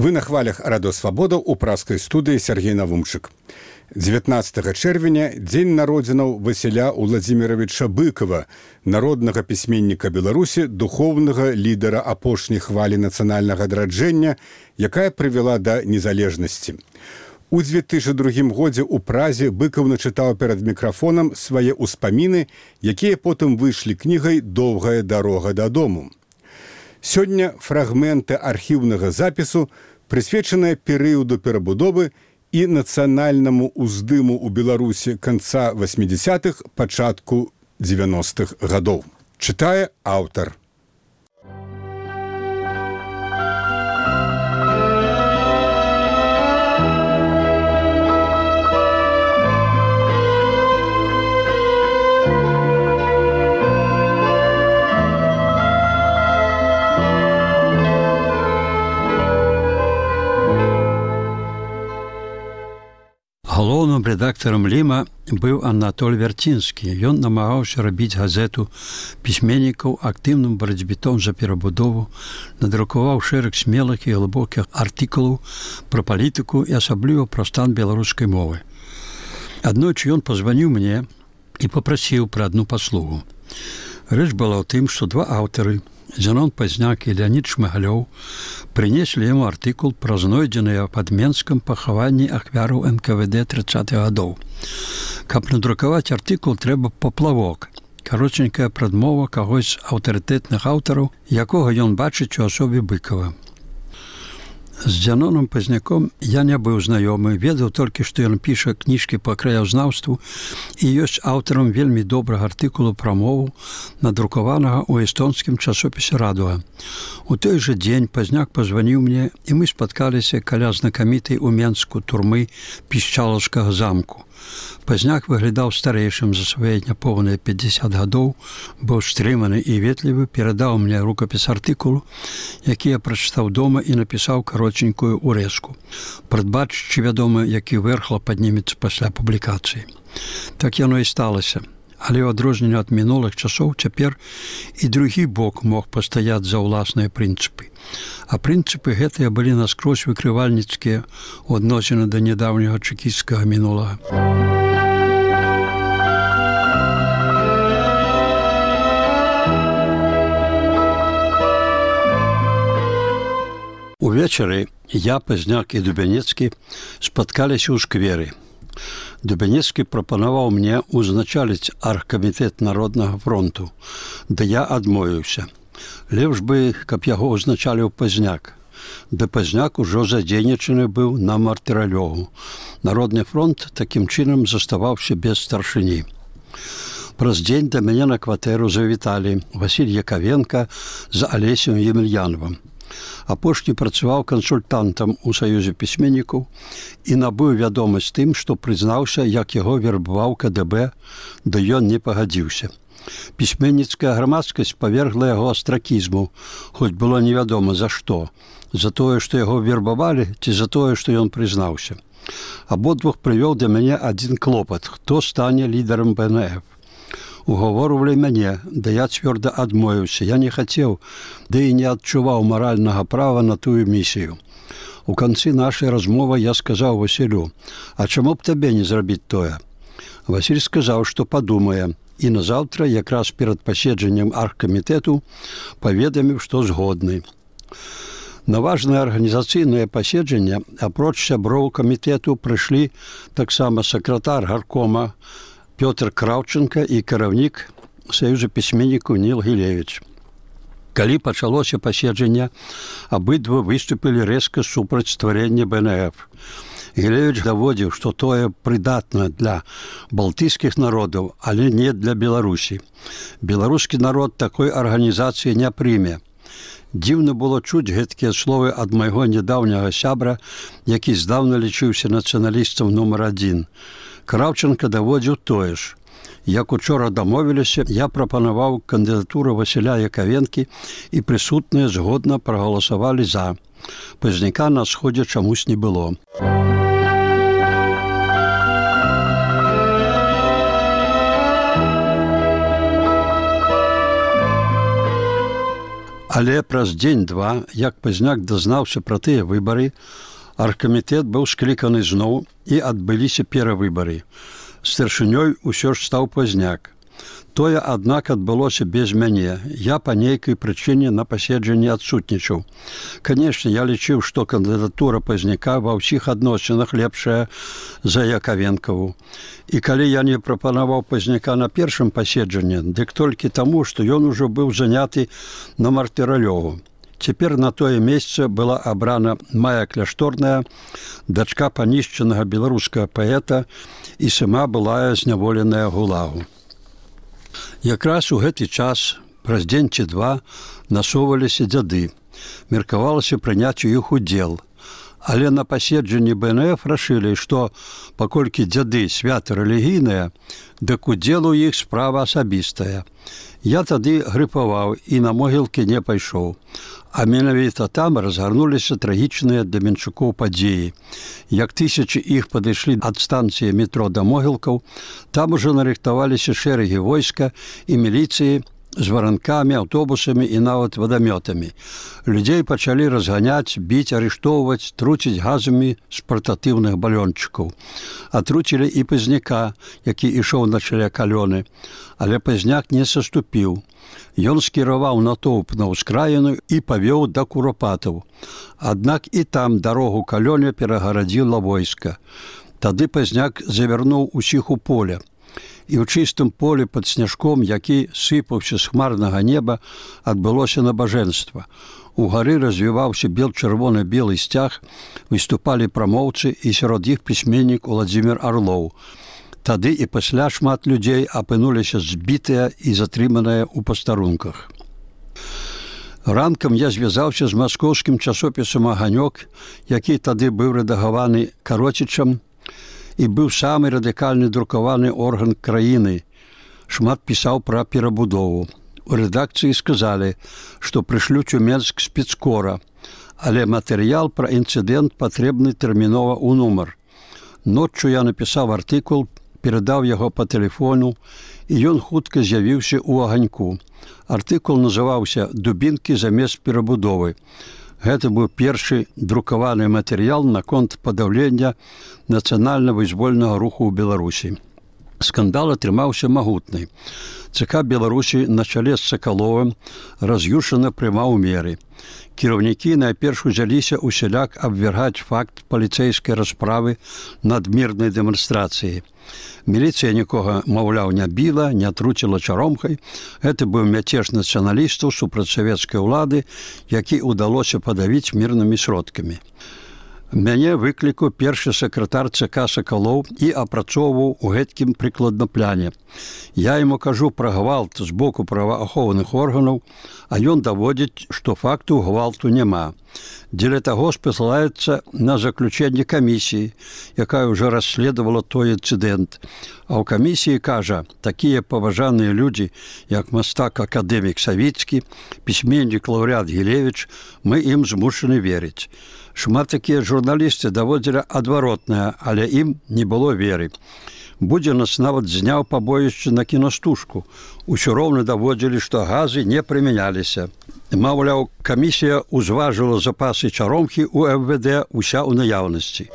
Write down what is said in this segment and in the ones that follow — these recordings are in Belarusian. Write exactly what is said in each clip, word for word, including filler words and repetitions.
Вы на хвалях радыёсвабода у праскай студыі Сергей Навумчык. дзевятнаццатага чэрвеня дзень народзінаў Васіля Уладзіміровича Быкова, народнага пісьменніка Беларусі, духоўнага лідара апошняй хвалі нацыянальнага адраджэння, якая прывяла да незалежнасці. У дзве тысячы другім годзе ў Празе Быкаў начытаў перад мікрафонам свае ўспаміны, якія потым выйшлі кнігай «Доўгая дарога дадому». Сёння фрагменты архіўнага запісу, прысвечаныя перыяду перабудовы і нацыянальнаму ўздыму ў Беларусі канца васьмідзясятых, пачатку дзевяностых гадоў. Чытае аўтар. Галоўным рэдактарам Ліма быў Анатоль Вярцінскі. Ён намагаўся рабіць газету пісьменнікаў актыўным барацьбітом за перабудову, надрукаваў шэраг смелых і глыбокіх артыкулаў пра палітыку і асабліва пра стан беларускай мовы. Аднойчы ён пазваніў мне і папрасіў пра адну паслугу. Рэч была ў тым, што два аўтары, Зенон Пазняк і Леонід Шмыгалёў, прынеслі яму артыкул пра знойдзеныя пад Менскам пахаванні ахвяраў эн ка вэ дэ трыццатых гадоў. Каб надрукаваць артыкул, трэба паплавок, каротенькая прадмова кагось з аўтарытэтных аўтараў, якога ён бачыць у асобе Быкова. З Зеноном Пазняком я не быў знаёмы, ведаў толькі, што ён піша кніжкі па краязнаўству і ёсць аўтарам вельмі добрага артыкулу пра мову, надрукаванага ў эстонскім часопісе «Радуга». У той жа дзень Пазняк пазваніў мне, і мы спаткаліся каля знакамітай у Менску турмы Пішчалаўскага замку. Пазняк выглядаў старэйшым за свае няпоўныя пяцьдзясят гадоў, быў стрыманы і ветлівы, перадаў мне рукапіс артыкулу, які я прачытаў дома і напісаў каротенькую урэзку, прадбачачы, вядома, які вэрхла паднімецца пасля публікацыі. Так яно і сталася. Але ў адрозненне ад мінулых часоў цяпер і другі бок мог пастаяць за ўласныя прынцыпы. А прынцыпы гэтыя былі наскрозь выкрывальніцкія ў адносіны да нядаўняга чэкісцкага мінулага. Увечары я, Пазняк і Дубянецкі спаткаліся ў скверы. Дубянецкі прапанаваў мне узначаліць аргкамітэт Народнага фронту, да я адмовіўся. Лепш бы, каб яго узначаліў Пазняк. Да Пазняк ужо задзейнічаны быў на мартыралёгу. Народны фронт такім чынам заставаўся без старшыні. Праз дзень да мяне на кватэру завіталі Васіль Якавенка з Алесем Емельяновым. Апошні працаваў кансультантам у Саюзе пісьменнікаў і набыў вядомасць тым, што прызнаўся, як яго вербаваў ка дэ бэ, да ён не пагадзіўся. Пісьменніцкая грамадскасць павергла яго астракізму, хоць было невядома за што, за тое, што яго вербавалі, ці за тое, што ён прызнаўся. Абодвух прывёў да мяне адзін клопат, хто стане лідарам бэ эн эф. Угаворвалі мяне, да я цвёрда адмовіўся. Я не хацеў, да і не адчуваў маральнага права на тую місію. У канцы нашай размовы я сказаў Васілю: «А чаму б табе не зрабіць тое?» Васіль сказаў, што падумае, і назаўтра, якраз перад паседжаннем аргкамітэту, паведаміў, што згодны. На важнае арганізацыйнае паседжанне, апроч сяброў камітэту, прыйшлі таксама сакратар гаркома Пётр Краўченка і кіраўнік Саюза пісьменнікаў Ніл Гілевіч. Калі пачалося паседжанне, абыдва выступілі рэзка супраць стварэння бэ эн эф. Гілевіч даводзіў, што тое прыдатна для балтыйскіх народаў, але не для Беларусі. Беларускі народ такой арганізацыі не прыме. Дзіўна было чуць гэткія словы ад майго нядаўняга сябра, які здаўна лічыўся нацыяналістам нумар адзін. Краўченка даводзіў тое ж. Як учора дамовіліся, я прапанаваў кандыдатуру Васіля Якавенкі і прысутныя згодна прагаласавалі за. Пазняка на сходзе чамусь не было. Але праз дзень-два, як Пазняк дазнаўся пра тыя выбары, аргкамітэт быў скліканы зноў і адбыліся перавыбары. Старшынёй усё ж стаў Пазняк. Тое, аднак, адбылося без мяне. Я па нейкай прычыне на паседжанні адсутнічаў. Канешне, я лічыў, што кандыдатура Пазняка ва ўсіх адносінах лепшая за Яковенкаву. І калі я не прапанаваў Пазняка на першым паседжанні, дык толькі таму, што ён ужо быў заняты на Мартыралёву. Цяпер на тое месца была абрана Мая Кляшторная, дачка панішчанага беларускага паэта і сама былая зняволеная гулагу. Якраз у гэты час, праз дзень ці два, насоўваліся дзяды. Меркавалася прыняць у іх удзел. Але на паседжанні бэ эн эф рашылі, што паколькі дзяды свята рэлігійныя, дык удзел у іх справа асабістая. Я тады грыпаваў і на могілкі не пайшоў. А менавіта там разгарнуліся трагічныя для менчукоў падзеі. Як тысячы іх падышлі ад станцыі метро да могілкаў, там ужо нарыхтаваліся шэрагі войска і міліцыі з варанкамі, аўтобусамі і нават вадамётамі. Людзей пачалі разганяць, біць, арыштоўваць, труціць газамі з партатыўных балёнчыкаў. Атруцілі і Пазняка, які ішоў на чале калёны. Але Пазняк не саступіў. Ён скіраваў натоўп на ўскраіну і павёў да Куропатаў. Аднак і там дарогу калёне перагарадзіла войска. Тады Пазняк завярнуў усіх у поле. І ў чыстым полі пад сняжком, які сыпаўся з хмарнага неба, адбылося набажэнства. Угары развіваўся бел-чырвона-белы сцяг, выступалі прамоўцы і сярод іх пісьменнік Уладзімір Арлоў. Тады і пасля шмат людзей апынуліся збітыя і затрыманыя ў пастарунках. Ранкам я звязаўся з маскоўскім часопісам «Аганёк», які тады быў рэдагаваны Кароцічам, і быў самы радыкальны друкаваны орган краіны. Шмат пісаў пра перабудову. У рэдакцыі сказалі, што прышлюць у Менск спецкора, але матэрыял пра інцыдэнт патрэбны тэрмінова ў нумар. Ноччу я напісаў артыкул, перадаў яго па тэлефону, і ён хутка з'явіўся ў «Аганьку». Артыкул называўся «Дубінкі замест перабудовы». Гэта быў першы друкаваны матэрыял наконт падаўлення нацыянальна-вызвольнага руху ў Беларусі. Скандал атрымаўся магутны. ЦК Беларусі на чале з Сакаловым раз'юшана прымаў меры. Кіраўнікі найперш узяліся усяляк абвяргаць факт паліцэйскай расправы над мірнай дэманстрацыяй. Міліцыя нікога, маўляў, не біла, не труціла чаромкай. Гэта быў мяцеж нацыяналістаў супраць савецкай улады, які ўдалося падавіць мірнымі сродкамі. Мяне выклікаў першы сакратар ЦК Сакалоў і апрацоўваў у гэткім прыкладна пляне. Я яму кажу пра гвалт з боку праваахоўных органаў, а ён даводзіць, што факту гвалту няма. Дзеля таго спасылаецца на заключэнне камісіі, якая ўжо расследавала той інцыдэнт. А ў камісіі кажа, такія паважаныя людзі, як мастак-акадэмік Савіцкі, пісьменнік лаўрэат Гілевіч, мы ім змушаны верыць. Шмат такія журналісты даводзілі адваротнае, але ім не было веры. Будзе нас нават зняў пабоішча на кінастужку. Усё роўна даводзілі, што газы не прымяняліся. Маўляў, камісія ўзважыла запасы чаромкі ў эф вэ дэ ўся ў наяўнасці.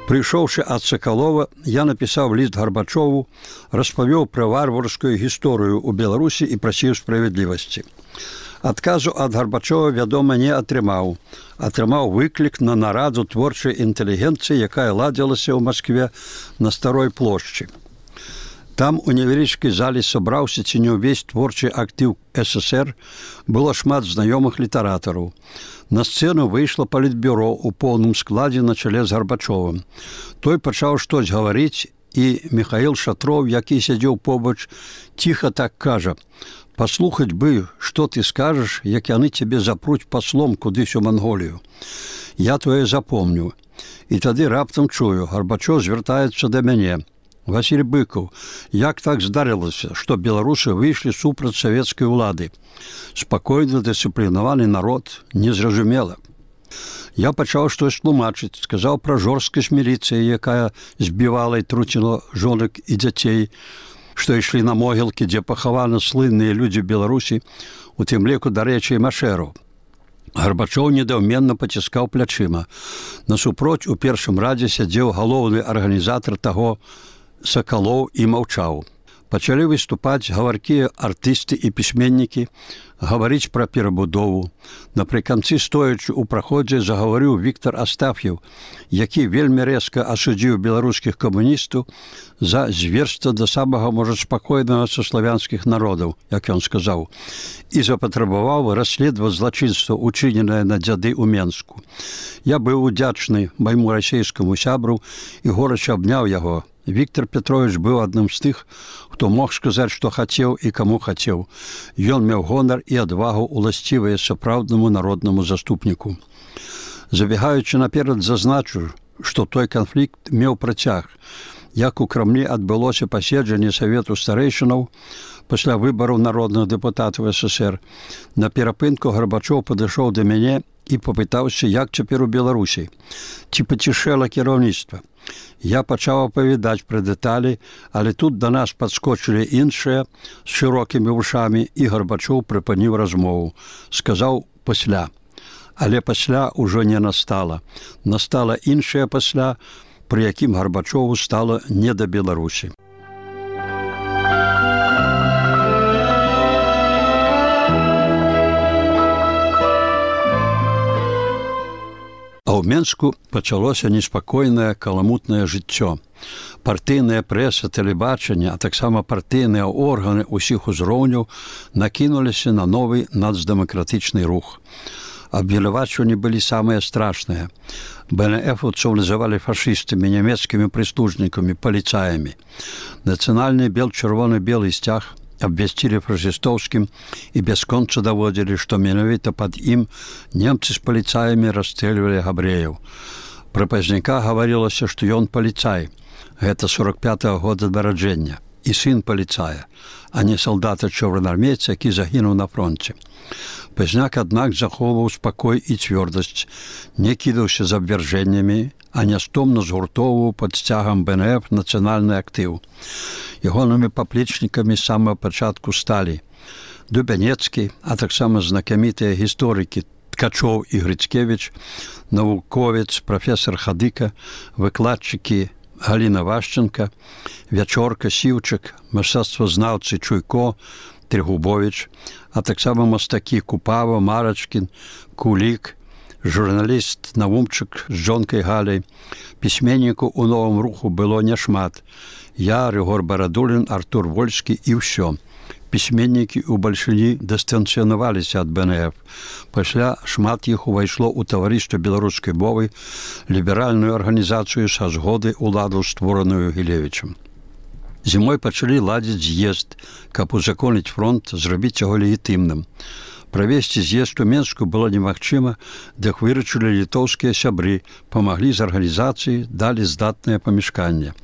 Прыйшоўшы ад Сакалова, я напісаў ліст Гарбачову, распавёў пра варварскую гісторыю ў Беларусі і прасіў справядлівасці. Адказу ад Гарбачова, вядома, не атрымаў. Атрымаў выклік на нараду творчай інтэлігенцыі, якая ладзілася ў Маскве на Старой плошчы. Там у невялічкай залі сабраўся ці не ўвесь творчы актыў эс эс er, было шмат знаёмых літаратараў. На сцэну выйшла палітбюро ў поўным складзе на чале з Гарбачовым. Той пачаў штось гаварыць, і Михаил Шатров, які сядзеў побач, ціха так кажа: «Паслухаць бы, што ты скажаш, як яны цябе запруць паслом кудысь у Манголію. Я тое запомню». І тады раптам чую, Гарбачов звяртаецца да мяне: «Васіль Быкаў, як так здарылася, што беларусы выйшлі супраць савецкай улады? Спакойны, дысцыплінаваны народ, незразумела». Я пачаў штось тлумачыць, сказаў пра жорсткасць міліцыі, якая збівала і труціла жонак і дзяцей, што ішлі на могілкі, дзе пахаваны слынныя людзі Беларусі, у тым ліку, дарэчы, і Машэру. Гарбачоў недаўменна паціскаў плячыма. Насупроць у першым радзе сядзеў галоўны арганізатар таго Сакалоў і маўчаў. Пачалі выступаць гаваркія артысты і пісьменнікі, гаварыць пра перабудову. Напрыканцы, стоячы ў праходзе, загаварыў Віктар Астаф'еў, які вельмі рэзка асудзіў беларускіх камуністаў за зверства да самага, можа, спакойнага са славянскіх народаў, як ён сказаў, і запатрабаваў расследаваць злачынства, учыненае на дзяды ў Менску. Я быў удзячны майму расейскаму сябру і горача абняў яго. Віктор Петрович быў адным з тых, хто мог сказаць, што хацеў і каму хацеў. Ён меў гонар і адвагу, уласцівыя сапраўднаму народнаму заступніку. Забегаючы наперад, зазначу, што той канфлікт меў працяг. Як у Крамлі адбылося паседжанне Савету старэйшынаў пасля выбараў народных дэпутатаў СССР, на перапынку Гарбачоў падышоў да мяне і папытаўся, як цяпер у Беларусі, ці пацішэла кіраўніцтва. Я пачаў апавядаць пра дэталі, але тут да нас падскочылі іншыя з шырокімі вушамі, і Гарбачоў прыпыніў размову. Сказаў пасля. Але пасля ўжо не настала. Настала іншае пасля, пры якім Гарбачову стала не да Беларусі. А ў Менску пачалося неспакойнае каламутнае жыццё. Партыйная прэса, тэлебачанне, а таксама партыйныя органы ўсіх узроўняў накінуліся на новы нацдэмакратычны рух. Абвінавачванні былі самыя страшныя. БНФаўцаў называлі фашыстамі, нямецкімі прыслужнікамі, паліцаямі. Нацыянальны бел-чырвоны-белы сцяг абвясцілі фашыстоўскім і бясконца даводзілі, што менавіта пад ім немцы з паліцаямі расстрэльвалі габрэяў. Пра пазняка гаварылася, што ён паліцай. Гэта сорок пятага года нараджэння. І сын паліцая, а не салдата-чорнаармейца, які загінуў на фронце. Пазняк, аднак, захоўваў спакой і цвёрдасць, не кідаўся з абвяржэннямі, а нястомна згуртоўваў пад сцягам БНФ нацыянальны актыў. Ягонымі паплечнікамі з самага пачатку сталі Дубянецкі, а таксама знакамітыя гісторыкі Ткачоў і Грыцкевіч, навуковец, прафесар Хадыка, выкладчыкі Галіна Вашченка, Вячорка, Сіўчык, мастацтвазнаўцы Чуйко, Трегубович, а таксама мастакі Купава, Марачкін, Кулік, журналіст Навумчык з жонкай Галяй. Пісьменнікаў у новым руху было няшмат. Я, Рыгор Барадулін, Артур Вольскі і ўсё. Пісьменнікі ў бальшыні дыстанцыянаваліся ад БНФ. Пасля шмат іх увайшло ў таварыства беларускай мовы, ліберальную арганізацыю са згоды ўладу, створаную Гілевічам. Зімой пачалі ладзіць з'езд, каб узаконіць фронт, зрабіць яго легітымным. Правесці з'езд у Менску было немагчыма, дык выручылі літоўскія сябры, памаглі з арганізацыі, далі здатнае памяшканне.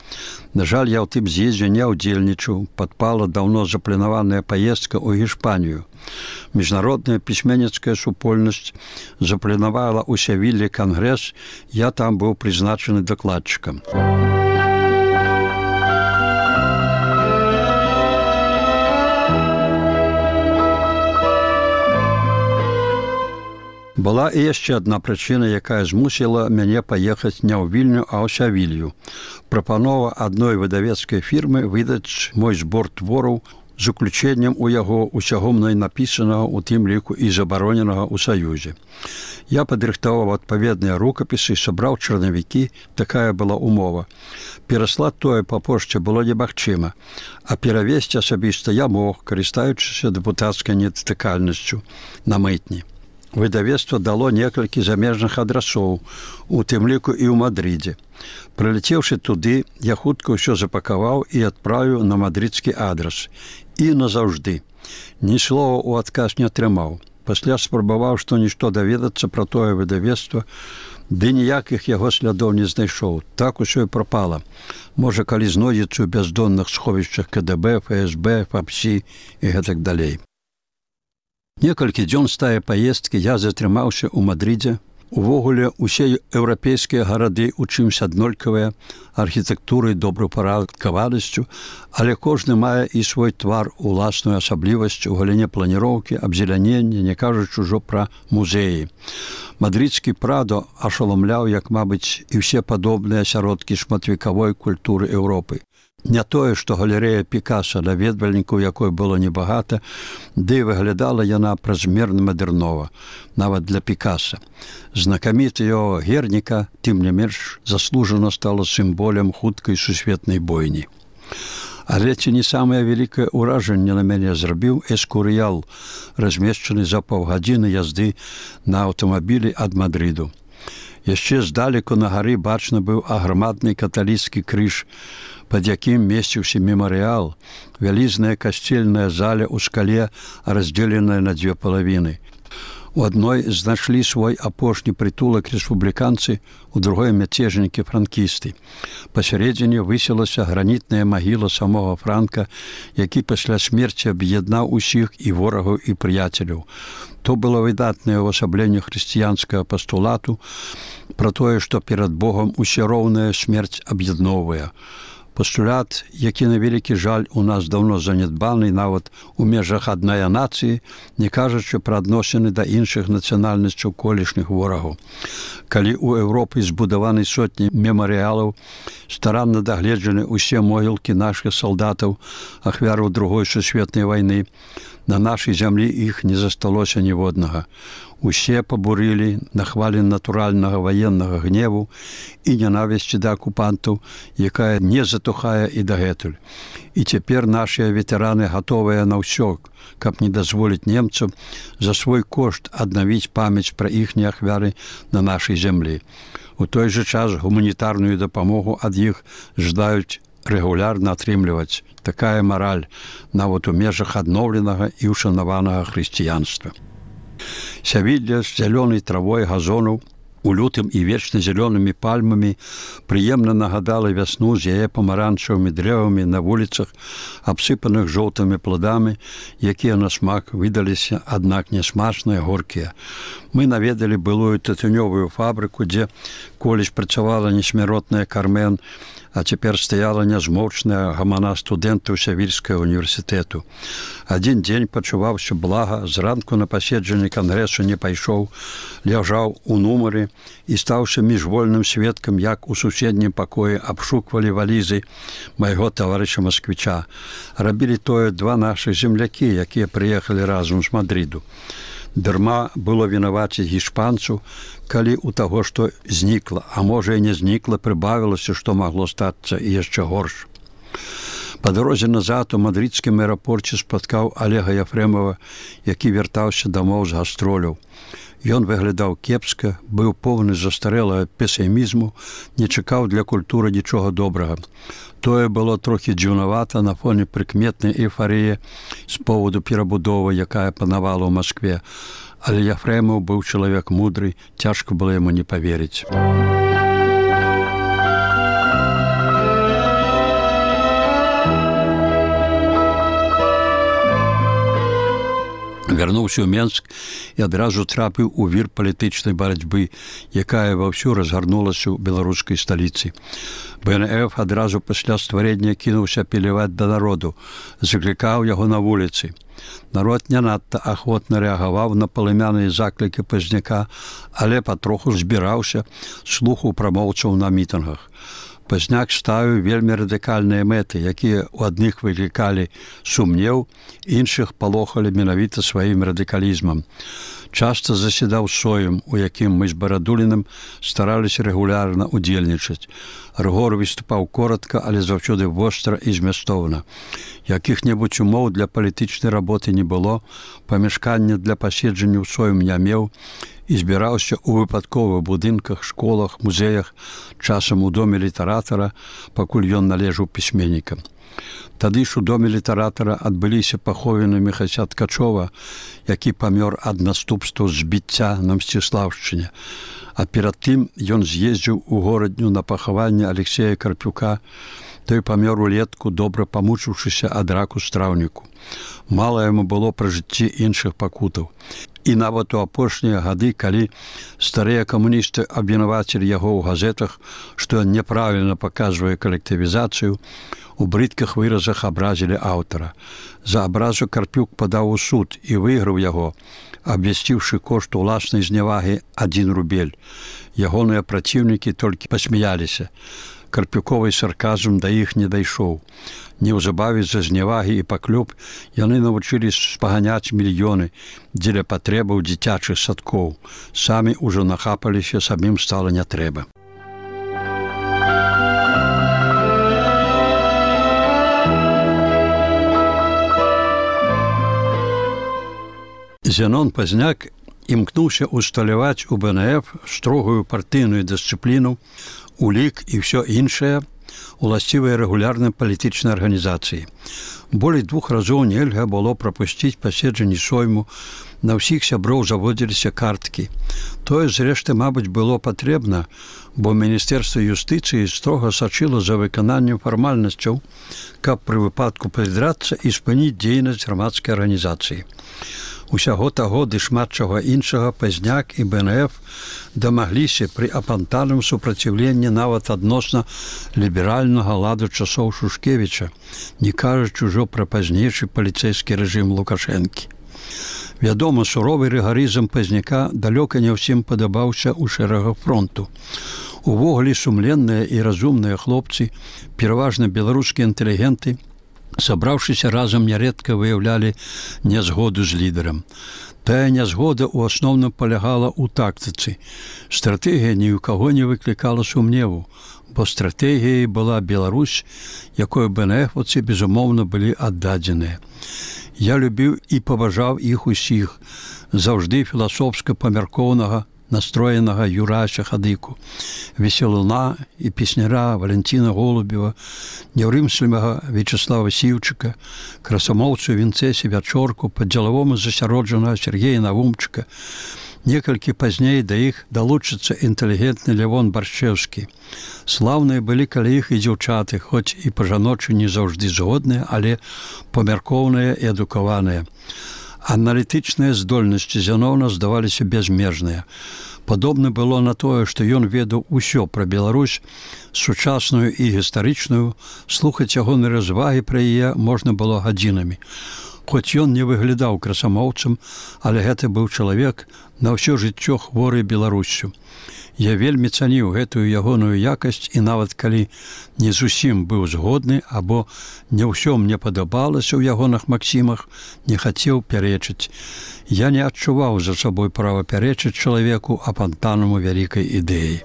На жаль, я ў тым з'ездзе не ўдзельнічаў, падпала даўно запланаваная паездка ў Гішпанію. Міжнародная пісьменніцкая супольнасць запланавала ў Севіллі кангрэс, я там быў прызначаны дакладчыкам. Была і яшчэ адна прычына, якая змусіла мяне паехаць не ў Вільню, а ў Сявілью. Прапанова адной выдавецкай фірмы выдаць мой збор твораў з уключэннем у яго усяго мной напісанага, у тым ліку і забароненага ў Саюзе. Я падрыхтаваў адпаведныя рукапісы, сабраў чарнавікі, такая была умова. Пераслаць тое па пошце было немагчыма, а перавесці асабіста я мог, карыстаючыся дэпутацкай недатыкальнасцю на мытні. Выдавецтва дало некалькі замежных адрасоў, у тым ліку і ў Мадридзе. Прылецеўшы туды, я хутка ўсё запакаваў і адправіў на мадридскі адрас. І назаўжды. Ні слова ў адказ не атрымаў. Пасля спрабаваў што-нішто даведацца пра тое выдавецтва, ды ніякіх яго слядоў не знайшоў. Так усё і прапала. Можа, калі знойдзецца ў бяздонных сховішчах КДБ, ФСБ, ФАПСі і гэтак далей. Некалькі дзён з тае паездкі я затрымаўся ў Мадридзе, Увогуле, усе еўрапейскія гарады ў чымсь аднолькавыя, архітэктурай, добраўпарадкаванасцю, але кожны мае і свой твар, уласную асаблівасць у галіне планіроўкі, абзелянення, не кажучы ўжо пра музеі. Мадрыдскі Прадо ашаламляў, як, мабыць, і ўсе падобныя асяродкі шматвекавой культуры Еўропы. Не тое, што галерэя Пікаса, наведвальнікаў якой было небагата, ды і выглядала яна празмерна мадэрнова, нават для Пікаса. Знакаміты яго Герніка, тым не менш, заслужана стала сімволем хуткай сусветнай бойні. Але ці не самае вялікае ўражанне на мяне зрабіў Эскурыял, размешчаны за паўгадзіны язды на аўтамабілі ад Мадрыду. Яшчэ здалеку на гары бачны быў аграмадны каталіцкі крыж, пад якім месціўся мемарыял, вялізная касцельная заля ў скале, раздзеленая на дзве палавіны. У адной знайшлі свой апошні прытулак рэспубліканцы, у другой мяцежнікі франкісты. Пасярэдзіне высілася гранітная магіла самога Франка, які пасля смерці аб'яднаў усіх і ворагаў, і прыяцеляў. То было выдатнае ўвасабленне хрысціянскага пастулату пра тое, што перад Богом усе роўная смерць аб'ядноўвае. Пастулят, які на вялікі жаль у нас даўно занядбаны нават у межах аднай нацыі, не кажучы пра адносіны да іншых нацыянальнасцяў колішніх ворагаў. Калі ў Еўропы збудаваны сотні мемарыялаў, старанна дагледжаны ўсе могілкі нашых салдатаў, ахвяраў другой сусветнай вайны, на нашай зямлі іх не засталося ніводнага. Усе пабурылі на хвалі натуральнага ваеннага гневу і нянавісці да акупантаў, якая не затухае і дагэтуль. І цяпер нашыя ветэраны гатовыя на ўсё, каб не дазволіць немцам за свой кошт аднавіць памяць пра іхнія ахвяры на нашай зямлі. У той жа час гуманітарную дапамогу ад іх ждаюць рэгулярна атрымліваць. Такая мараль нават у межах адноўленага і ушанаванага хрысціянства. Сявілля з зялёнай травой газонаў, у лютым і вечна зялёнымі пальмамі прыемна нагадала вясну з яе памаранчавымі дрэвамі на вуліцах, абсыпаных жоўтымі пладамі, якія на смак выдаліся, аднак нясмачныя, горкія. Мы наведалі былую тытунёвую фабрыку, дзе колісь працавала несмяротная Кармен, а цяпер стаяла нязмоўчная гамана студэнтаў Сявільскага універсітэту. Адзін дзень пачуваўся блага, зранку на паседжанне кангрэсу не пайшоў, ляжаў у нумары і стаўся міжвольным сведкам, як у суседнім пакоі абшуквалі валізы майго таварыша Масквіча. Рабілі тое два нашых землякі, якія прыехалі разам з Мадрыду. Дарма было вінаваціць іспанцу, калі ў таго, што знікла, а можа і не знікла, прыбавілася, што магло стацца і яшчэ горш. Па дарозе назад у мадрыдскім аэрапорце спаткаў Алега Яфрэмова, які вяртаўся дамоў з гастроляў. Ён выглядаў кепска, быў поўны застарэлага песімізму, не чакаў для культуры нічога добрага. Тое было трохі дзіўнавата на фоне прыкметнай эйфарыі з поводу перабудовы, якая панавала ў Маскве. Але Яфрэмаў быў чалавек мудры, цяжка было яму не паверыць. Вярнуўся ў Менск і адразу трапіў у вір палітычнай барацьбы, якая ваўсю разгарнулася ў беларускай сталіцы. бэ эн эф адразу пасля стварэння кінуўся апеляваць да народу, заклікаў яго на вуліцы. Народ не надта ахвотна рэагаваў на палымяныя заклікі Пазняка, але патроху збіраўся, слухаў прамоўцаў на мітынгах. Пазняк ставіў вельмі радыкальныя мэты, якія ў адных выклікалі сумнеў, іншых палохалі менавіта сваім радыкалізмам. Часта заседаў соем, у якім мы з Барадуліным стараліся рэгулярна удзельнічаць. Рыгор выступаў коратка, але заўсёды востра і змястоўна. Якіх-небудзь умоў для палітычнай работы не было, памяшкання для паседжання ў соем не меў і збіраўся ў выпадковых будынках, школах, музеях, часам у доме літаратара, пакуль ён належаў пісьменнікам. Тады ж у доме літаратара адбыліся паховіны Міхася Ткачова, які памёр ад наступстваў збіцця на Мсціслаўшчыне. А перад тым ён з'ездзіў у горадню на пахаванне Алексея Карпюка, Той памёр улетку, добра памучыўшыся ад раку страўніку. Мала яму было пра жыцці іншых пакутаў. І нават у апошнія гады, калі старыя камуністы абвінавацілі яго ў газетах, што ён няправільна паказвае калектывізацыю, у брыдкіх выразах абразілі аўтара. За абразу Карпюк падаў у суд і выйграў яго, абвясціўшы кошт уласнай знявагі адзін рубель. Ягоныя праціўнікі толькі пасмяяліся. Карпюковы сарказм да іх не дайшоў. Неўзабаве за знявагі і паклёп яны навучылі спаганяць мільёны дзеля патрэбаў дзіцячых садкоў. Самі ўжо нахапаліся, самім стала не трэба. Зенон Пазняк імкнуўся усталяваць у бэ эн эф строгую партыйную дысцыпліну, улік і ўсё іншае, уласцівыя рэгулярнай палітычнай арганізацыі. Болей двух разоў нельга было прапусціць паседжанні сойму, на ўсіх сяброў заводзіліся карткі. Тое, зрэшты, мабыць, было патрэбна, бо Міністэрства юстыцыі строга сачыла за выкананнем фармальнасцяў, каб пры выпадку прыдрацца і спыніць дзейнасць грамадскай арганізацыі. Усяго таго ды шмат чаго іншага Пазняк і бэ эн эф дамагліся пры апантаным супраціўленні нават адносна ліберальнага ладу часоў Шушкевіча, не кажучы ўжо пра пазнейшы паліцэйскі рэжым Лукашэнкі. Вядома, суровы рыгарызм Пазняка далёка не ўсім падабаўся ў шэрагах фронту. Увогуле сумленныя і разумныя хлопцы, пераважна беларускія інтэлігенты, сабраўшыся разам, нярэдка выяўлялі нязгоду з лідарам. Тая нязгода ў асноўным палягала ў тактыцы. Стратэгія ні ў каго не выклікала сумневу, бо стратэгіяй была Беларусь, якой бэ эн эфаўцы, безумоўна, былі аддадзеныя. Я любіў і паважаў іх усіх, заўжды філасофска памяркоўнага, настроенага Юрася Хадыку, весялуна і песняра Валентина Голубева, няўрымслівага Вячеслава Сіўчыка, красамоўцу Вінцэсі Вячорку, па-дзелавому засяроджанага Сергея Навумчыка. Некалькі пазней да іх далучыцца інтэлігентны Лявон Баршчэўскі. Слаўныя былі каля іх і дзяўчаты, хоць і па-жаночы не заўжды згодныя, але памяркоўныя і адукаваныя. Аналітычныя здольнасці Зянона здаваліся бязмежныя. Падобна было на тое, што ён ведаў усё пра Беларусь, сучасную і гістарычную, слухаць ягоныя развагі пра яе можна было гадзінамі. Хоць ён не выглядаў красамоўцам, але гэта быў чалавек на ўсё жыццё хворы Беларуссю. Я вельмі цаніў гэтую ягоную якасць і нават калі не зусім быў згодны або не ўсё мне падабалася ў ягоных максімах, не хацеў пярэчыць. Я не адчуваў за сабой права пярэчыць чалавеку апантанаму вялікай ідэі.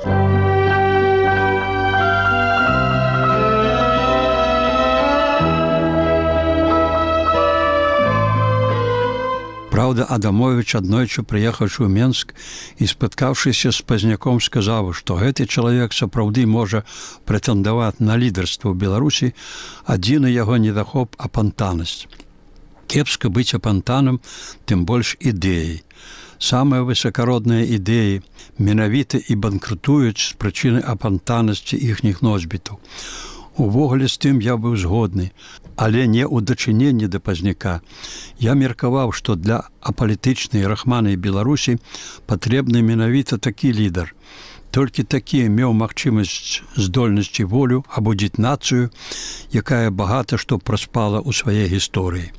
Праўда, Адамовіч, аднойчы прыехаўшы ў Менск і спаткаўшыся з Пазняком, сказаў, што гэты чалавек сапраўды можа прэтэндаваць на лідарства ў Беларусі, адзіны яго недахоп апантанасць. Кепска быць апантанам, тым больш ідэяй. Самыя высакародныя ідэі менавіта і банкрутуюць з прычыны апантанасці іхніх носьбітаў. Увогуле з тым я быў згодны, але не ў дачыненні да Пазняка. Я меркаваў, што для апалітычнай рахманай Беларусі патрэбны менавіта такі лідар. Толькі такі меў магчымасць, здольнасць і волю абудзіць нацыю, якая багата што праспала ў сваёй гісторыі.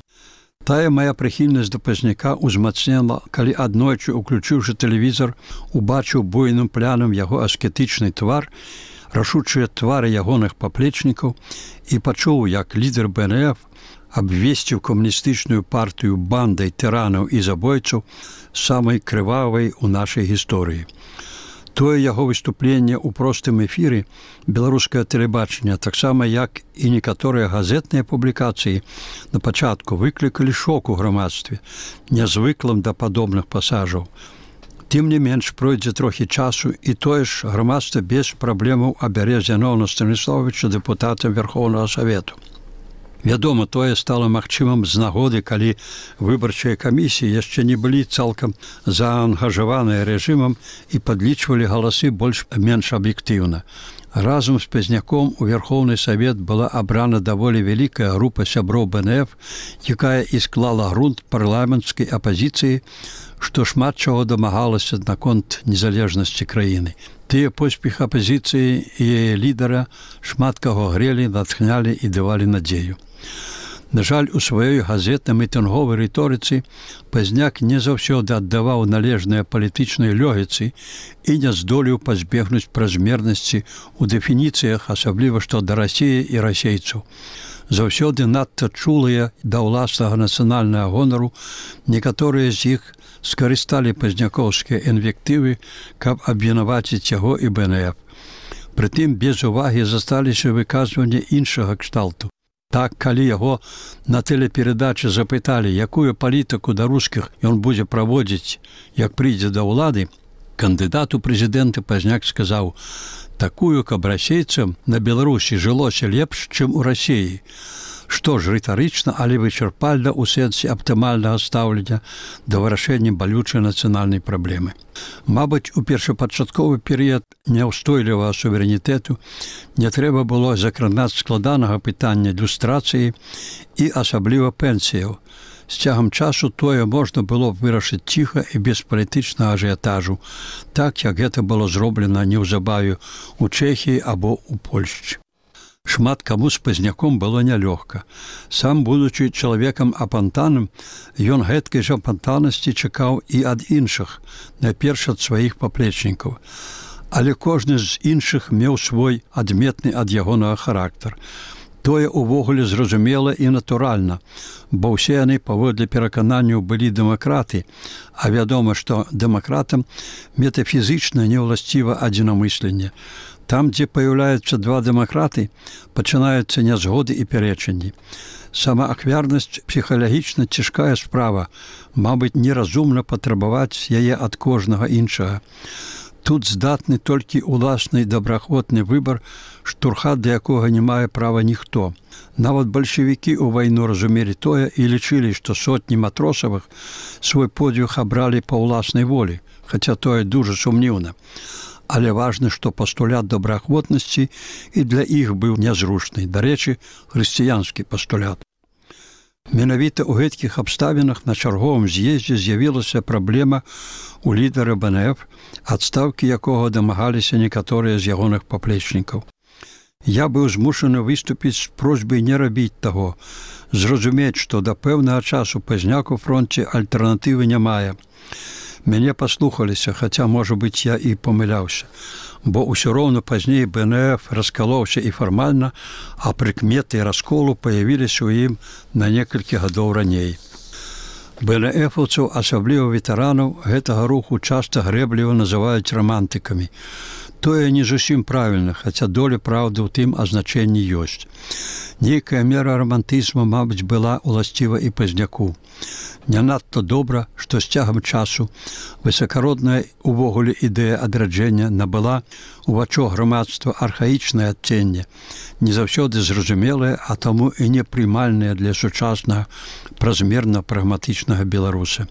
Тая мая прыхільнасць да Пазняка ўзмацнела, калі аднойчы, уключыўшы тэлевізор, убачыў буйным плянам яго аскетычны твар, рашучыя твары ягоных паплечнікаў і пачуў, як лідар бэ эн эф абвесціў камуністычную партыю бандай тыранаў і забойцаў самай крывавай у нашай гісторыі. Тое яго выступленне ў простым эфіры беларускае тэлебачанне, таксама як і некаторыя газетныя публікацыі, на пачатку выклікалі шок у грамадстве, нязвыклым да падобных пасажаў. Тым не менш, пройдзе трохі часу, і тое ж грамадства без праблемаў абярэ Зянона Станіславовича дэпутатам Верхоўнага Савету. Вядома, тое стала магчымым з нагоды, калі выбарчыя камісіі яшчэ не былі цалкам заангажаваныя рэжымам і падлічвалі галасы больш-менш аб'ектыўна. Разам з Пазняком у Верховны Савет была абрана даволі вялікая група сяброў бэ эн эф, якая і склала грунт парламенцкай апазіцыі, што шмат чаго дамагалася наконт незалежнасці краіны. Тыя поспех апазіцыі і яе лідара шмат каго грелі, натхнялі і давалі надзею. На жаль, у сваёй газетна-мітынговай рыторыцы Пазняк не заўсёды аддаваў належныя палітычнай лёгіцы і не здолеў пазбегнуць празмернасці ў дэфініцыях, асабліва што да Расіі і расейцаў. Заўсёды надта чулыя да ўласнага нацыянальнага гонару, некаторыя з іх скарысталі пазнякоўскія інвектывы, каб абвінаваціць яго і бэ эн эф. Прытым без увагі засталіся выказванні іншага кшталту. Так, калі яго на тэлеперадачы запыталі, якую палітыку да рускіх ён будзе праводзіць, як прыйдзе да ўлады, кандыдат у прэзідэнты Пазняк сказаў: такую, каб расейцам на Беларусі жылося лепш, чым у Расіі. Што ж, рытарычна, але вычарпальна ў сэнсе аптымальнага стаўлення да вырашэння балючай нацыянальнай праблемы. Мабыць, у першапачатковы перыяд няўстойлівага суверэнітэту не трэба было закранаць складанага пытання люстрацыі і асабліва пенсіяў. З цягам часу тое можна было вырашыць ціха і без палітычнага ажыятажу, так, як гэта было зроблена неўзабаве ў Чэхіі або ў Польшчы. Шмат каму з Пазняком было нялёгка. Сам, будучы чалавекам апантаным, ён гэткай жа апантанасці чакаў і ад іншых, найперш ад сваіх паплечнікаў. Але кожны з іншых меў свой адметны ад ягонага характар. Тое ўвогуле зразумела і натуральна, бо ўсе яны паводле перакананняў былі дэмакраты, а вядома, што дэмакратам метафізічна не ўласціва адзінамысленне. Там, дзе паяўляюцца два дэмакраты, пачынаюцца нязгоды і пярэчанні. Самаахвярнасць псіхалагічна цяжкая справа, мабыць, неразумна патрабаваць яе ад кожнага іншага. Тут здатны толькі ўласны добраахвотны выбар, штурхат да якога не мае права ніхто. Нават бальшавікі ў вайну разумелі тое і лічылі, што сотні матросавых свой подвиг абралі па ўласнай волі, хаця тое дужа сумніўна. Але важна, што пастулят добраахвотнасці і для іх быў нязручны. Дарэчы, хрысціянскі пастулят. Менавіта ў гэткіх абставінах на чарговым з'ездзе з'явілася праблема у лідара бэ эн эф, адстаўкі якога дамагаліся некаторыя з ягоных паплечнікаў. Я быў змушаны выступіць з просьбай не рабіць таго, зразумець, што да пэўнага часу Пазняк у фронце альтэрнатывы не мае. Мяне паслухаліся, хаця, можа быць, я і памыляўся, бо ўсё роўна пазней бэ эн эф раскалоўся і фармальна, а прыкметы расколу паявіліся ў ім на некалькі гадоў раней. бэ эн эфаўцаў, асабліва ветэранаў, гэтага руху часта грэбліва называюць рамантыкамі. Тое не зусім правільна, хаця доля праўды ў тым азначэнні ёсць. Нейкая мера рамантызму, мабыць, была ўласціва і Пазняку. Не надта добра, што з цягам часу высакародная увогуле ідэя адраджэння набыла у вачах грамадства архаічнае адценне, не заўсёды зразумелае, а таму і непрымальнае для сучаснага празмерна-прагматычнага беларуса.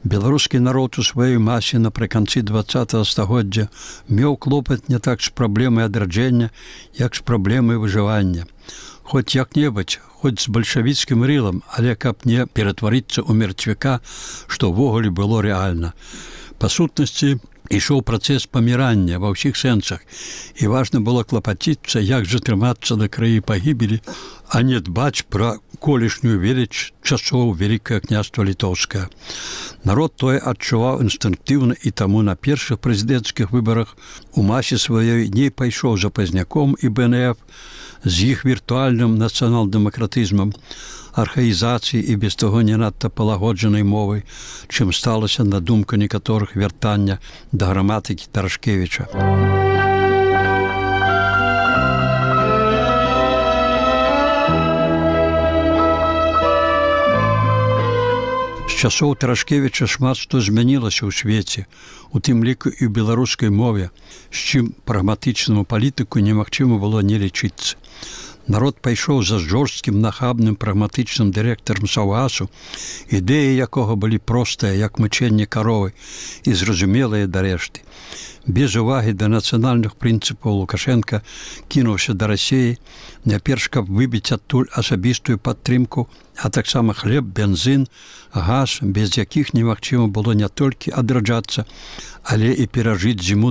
Беларускі народ у сваёй масе напрыканцы дваццатага стагоддзя меў клопат не так з праблемай адраджэння, як з праблемай выжывання. Хоць як-небудзь, хоць з бальшавіцкім рылам, але каб не ператварыцца ў мертвяка, што ўвогуле было рэальна. Па сутнасці, ішоў працэс памірання ва ўсіх сэнсах, і важна было клапаціцца, як жа трымацца на краі пагібелі, а не дбаць пра колішнюю веліч часоў Вялікае княства Літоўскае. Народ тое адчуваў інстынктыўна, і таму на першых прэзідэнцкіх выбарах у масе сваёй не пайшоў за Пазняком і бэ эн эф, з іх віртуальным нацыянал-дэмакратызмам, архаізацыі і без таго не надта палагоджанай мовай, чым сталася на думку некаторых вяртання да граматыкі Тарашкевіча. З часоў Тарашкевіча шмат што змянілася ў свеце, у тым ліку і ў беларускай мове, з чым прагматычнаму палітыку немагчыма было не лічыцца. Народ пайшоў за жорсткім, нахабным, прагматычным дырэктарам Саўгасу, ідэі якога былі простыя, як мычэнне каровы, і зразумелыя дарэшты. Без увагі да нацыянальных прынцыпаў Лукашенка кінуўся да Расіі, няперш каб выбіць адтуль асабістую падтрымку, а таксама хлеб, бензін, газ, без якіх немагчыма было не толькі адраджацца, але і перажыць зіму